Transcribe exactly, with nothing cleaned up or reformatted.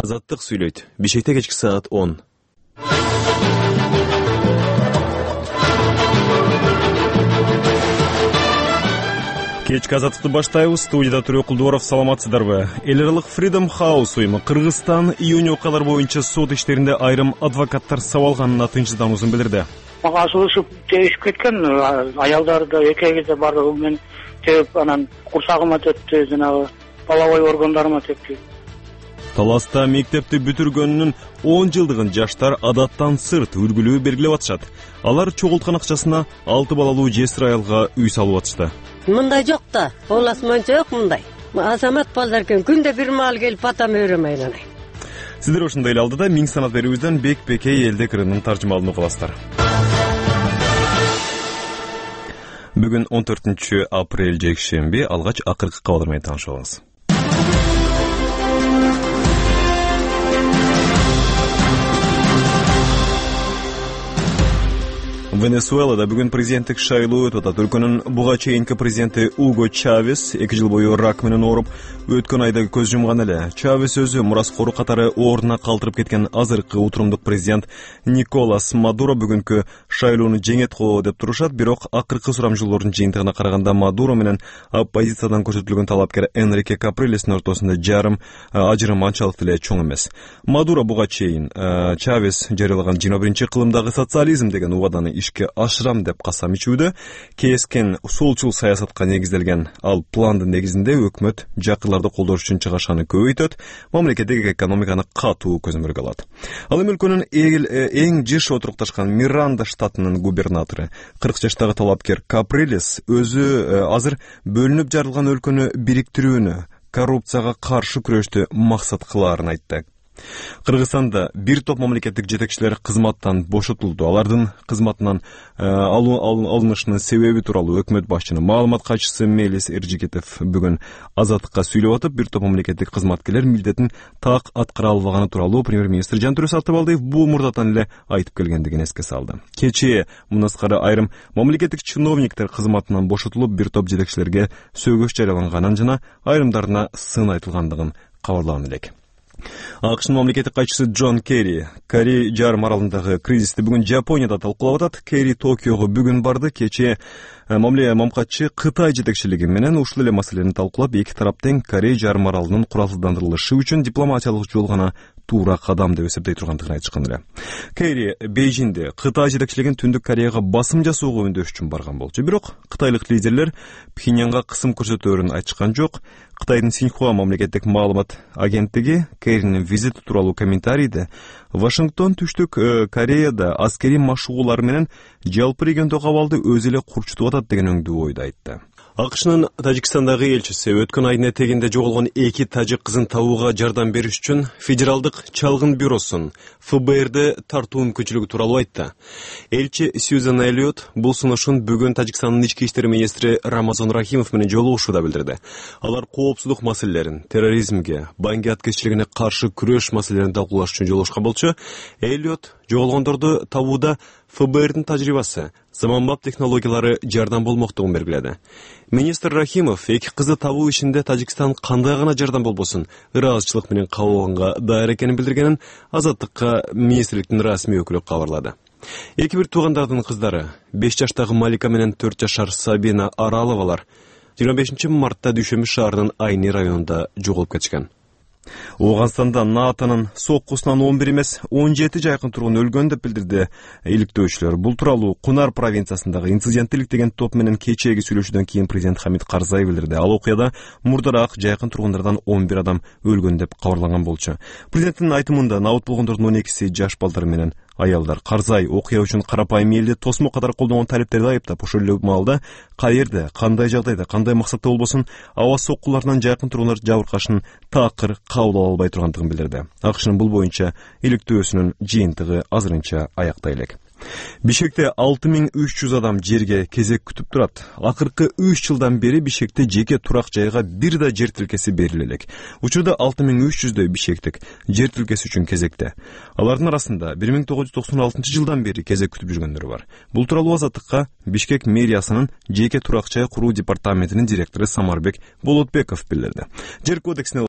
Азаттык сүйлөйт. Бишкекте кечки саат он. Кечки азаттыкты баштайбыз. Студияда Түрөк Кулдубаров, саламатсыздарбы? Эл аралык Freedom House уюму Кыргызстан июнь окуялар боюнча сот иштеринде айрым адвокаттар сабалганына тынчсыздануусун билдирди. Мага асылышып тебишип кеткен, аялдарды экегизе бардыгы менен тебип, анан курсагыма тепти, жанагы половой органдарыма тепти. Таласта мектепти бүтүргөнүнүн он жылдыгын жаштар адаттан сырт үлгүлүү белгилеп атышат. Алар чогулткан акчасына алты балалуу жесир аялга үй салып атышты. Мындай жок да, оласман жок мындай. Азамат балдар экен, күндө бир маал келип батам өрөмөйн анай. Сиздер ушундай эле алдыда миң санат берүүбүздөн Бекбекей элдик ырынын таржымалын угуласыздар. Бүгүн он төртүнчү апрель жекшемби, алгач акыркы кабарлар менен таанышып алыңыз. Венесуэлада бүгүн президенттик шайлоо өтүп атат. Өлкөнүн буга чейинки президенти Уго Чавес эки жыл бою рак менен ооруп, өткөн айда көз жумган эле. Чавес өзү мураскору катары ордуна калтырып кеткен азыркы утурумдук президент Николас Мадуро бүгүнкү шайлоону жеңет го деп турушат, бирок акыркы сурамжылоордун жыйынтыгына караганда Мадуро менен оппозициядан көрсөтүлгөн талапкер Энрике Каприлестин ортосунда жарым ажырым анчалык деле чоң эмес. Мадуро буга чейин Чавес жарыялаган жыйырма биринчи кылымдагы социализм деген убаданы ишке ашырам деп касам ичүүдө кескен солчул саясатка негизделген ал пландын негизинде өкмөт жакырларды колдош үчүн чыгашаны көбөйтөт, мамлекеттеги экономиканы катуу көзөмөлгө алат. Ал эми өлкөнүн эң жыш отурукташкан Миранда штатынын губернатору кырк жаштагы талапкер Каприлес өзү азыр бөлүнүп жарылган өлкөнү бириктирүүнү, коррупцияга каршы күрөштү максат кылаарын айтты. Кыргызстанда бир топ мамлекеттик жетекчилер кызматтан бошотулду. Алардын кызматынан алынышынын себеби тууралуу өкмөт башчынын маалымат катчысы Мелис Эржигетов бүгүн азаттыкка сүйлөп атып, бир топ мамлекеттик кызматкерлер милдетин так аткара албаганы тууралуу премьер-министр Жантүрө Сатыбалдиев бул мурдатан эле айтып келгендигин эске салды. Кечээ мындан тышкары айрым мамлекеттик чиновниктер кызматынан бошотулуп, бир топ жетекчилерге сөгүш жарыяланганын жана айрымдарына сын айтылгандыгын кабарлаган элек. АКШнын мамлекеттик катчысы Джон Керри Корей жарым аралындагы кризисти бүгүн Жапонияда талкуулап атат. Керри Токиого бүгүн барды. Кечээ мамлекатчы Кытай жетекчилиги менен ушул эле маселени талкуулап, эки тараптын Корей жарым аралынын куралсыздандырылышы үчүн дипломатиялык жол гана туура кадам деп эсептей тургандыгын айтышкан эле. Керри Бейжиңде Кытай жетекчилигин Түндүк Кореяга басым жасоого өндөш үчүн барган болчу. Бирок кытайлык лидерлер Пхеньянга кысым көрсөтөөрүн айтышкан жок. Кытайдын Синьхуа мамлекеттик маалымат агенттиги Керринин визити тууралуу комментарийде Вашингтон Түштүк Кореяда аскерий машыгуулар менен жалпы региондогу абалды өзү эле курчутуп атат деген өңдүү ойду айтты. АКШнын Тажикстандагы элчиси өткөн айдын этегинде жоголгон эки тажик кызын табууга жардам бериш үчүн Федералдык чалгын бюросун эф бэ эрди тартуу мүмкүнчүлүгү тууралуу айтты. Элчи Сьюзан Эллиот бул сунушун бүгүн Тажикстандын ички иштер министри Рамазан Рахимов менен жолугушууда билдирди. Алар коопсуздук маселелерин, терроризмге, банги аткезчилигине каршы күрөш маселелерин талкуулаш үчүн жолугушкан болчу. Эллиот жоголгондорду табууда эф бэ эрдин тажрыйбасы, заманбап технологиялары жардам болмоктугун белгиледи. Министр Рахимов эки кызды табуу ишинде Тажикстан кандай гана жардам болбосун ыраазычылык менен кабыл алганга даяр экенин билдиргенин азаттыкка министрликтин расмий өкүлү кабарлады. Эки бир туугандардын кыздары беш жаштагы Малика менен төрт жашар Сабина Араловалар жыйырма бешинчи мартта Дүйшөмбү шаарынын Айни районунда жоголуп кетишкен. Ооганстанда НАТОнун соккусунан он бир эмес он жети жайкын тургун өлгөн деп билдирди иликтөөчүлөр. Бул тууралуу Кунар провинциясындагы инциденттилик деген топ менен кечээги сүйлөшүүдөн кийин президент Хамид Карзай билдирди. Ал окуяда мурдараак жайкын тургундардан он бир адам өлгөн деп кабарланган болчу. Президенттин айтымында набыт болгондордун он экиси жаш балдар менен аялдар. Карзай окуя үчүн карапайым элди тосмо катары колдонгон талиптерди айыптап, ошол эле маалда каерде, кандай жагдайда, кандай максатта болбосун аба соккуларынан жайкын тургундар жабыркашын таакыр кабыл ала албай тургандыгын билдирди. АКШнын бул боюнча иликтөөсүнүн жыйынтыгы азырынча аякта элек. Бишкекте алты миң үч жүз адам жерге кезек күтүп турат. Акыркы үч жылдан бери Бишкекте жеке турак жайга бир да жер тилкеси бериле элек. Учурда алты миң үч жүздөй бишкектик жер тилкеси үчүн кезекте. Алардын арасында бир миң тогуз жүз токсон алтынчы жылдан бери кезек күтүп жүргөндөр бар. Бул тууралуу азаттыкка Бишкек мэриясынын жеке турак жай куруу департаментинин директору Самарбек Болотбеков билдирди. Жер кодексине